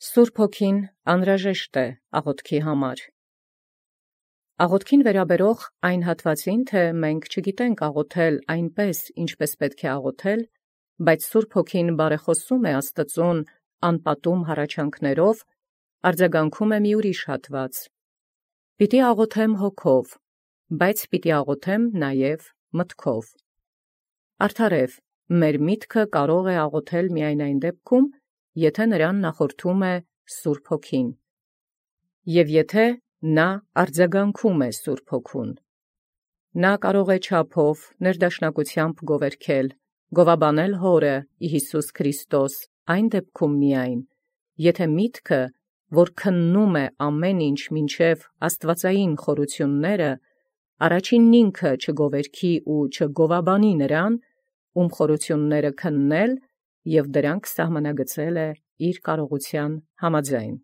Սուրբ Հոգին անհրաժեշտ է աղոթքի համար։ Աղոթքին վերաբերող այն հատվածին, թե մենք չգիտենք աղոթել այնպես, ինչպես պետք է աղոթել, բայց Սուրբ Հոգին բարեխոսում է Աստծուն անպատում հառաչանքներով, արձագանքում է մի ուրիշ հատված. «Պիտի աղոթեմ հոգով, բայց պիտի աղոթեմ նաև մտքով»։ Արդարև, մեր միտքը կարող է աղոթել միայն այն դեպքում, եթե նրան նախորդում է Սուրբ Հոգին, և եթե նա արձագանքում է Սուրբ Հոգուն։ Նա կարող է չափով, ներդաշնակությամբ գովերգել, գովաբանել Հորը Հիսուս Քրիստոս այն դեպքում միայն, եթե միտքը, որ քննում է ամեն ինչ մինչև աստվածային խորությունները, առաջինն ինքը չգովերգի ու չգովաբանի նրան, ում խորությունները քննել և դրանք սահմանագծել է իր կարողության համաձայն։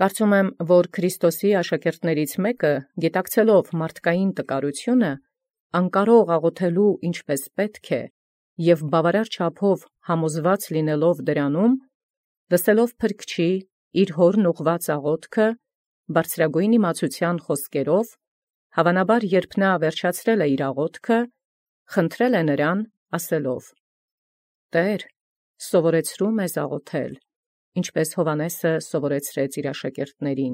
Կարծում եմ, որ Քրիստոսի աշակերտներից մեկը, գիտակցելով մարդկային տկարությունը, անկարող աղոթելու ինչպես պետք է, և բավարար չափով համոզված լինելով դրանում, լսելով փրկչի իր հորն ուղղված աղոթքը, բարձրագույն իմացության խոսքերով, հավանաբար երբ նա վերջացրել է իր աղոթքը, խնդրել է նրան, ասելով. «Տէր, սովորեցրու մեզ աղոթել, ինչպես Հովհաննեսը սովորեցրեց իր աշակերտներին»։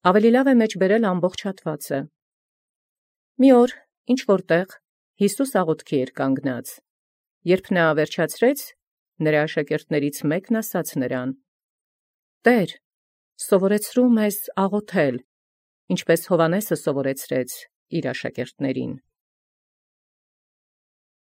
Ավելի լավ է մեջբերել ամբողջ հատվածը։ Մի օր ինչ-որ տեղ Յիսուս աղոթքի էր կանգնած. երբ նա վերջացրեց, նրա աշակերտներից մեկն ասաց նրան. «Տէր, սովորեցրու մեզ աղոթել, ինչպես Հովհաննեսը սովորեցրեց իր աշակերտներին»։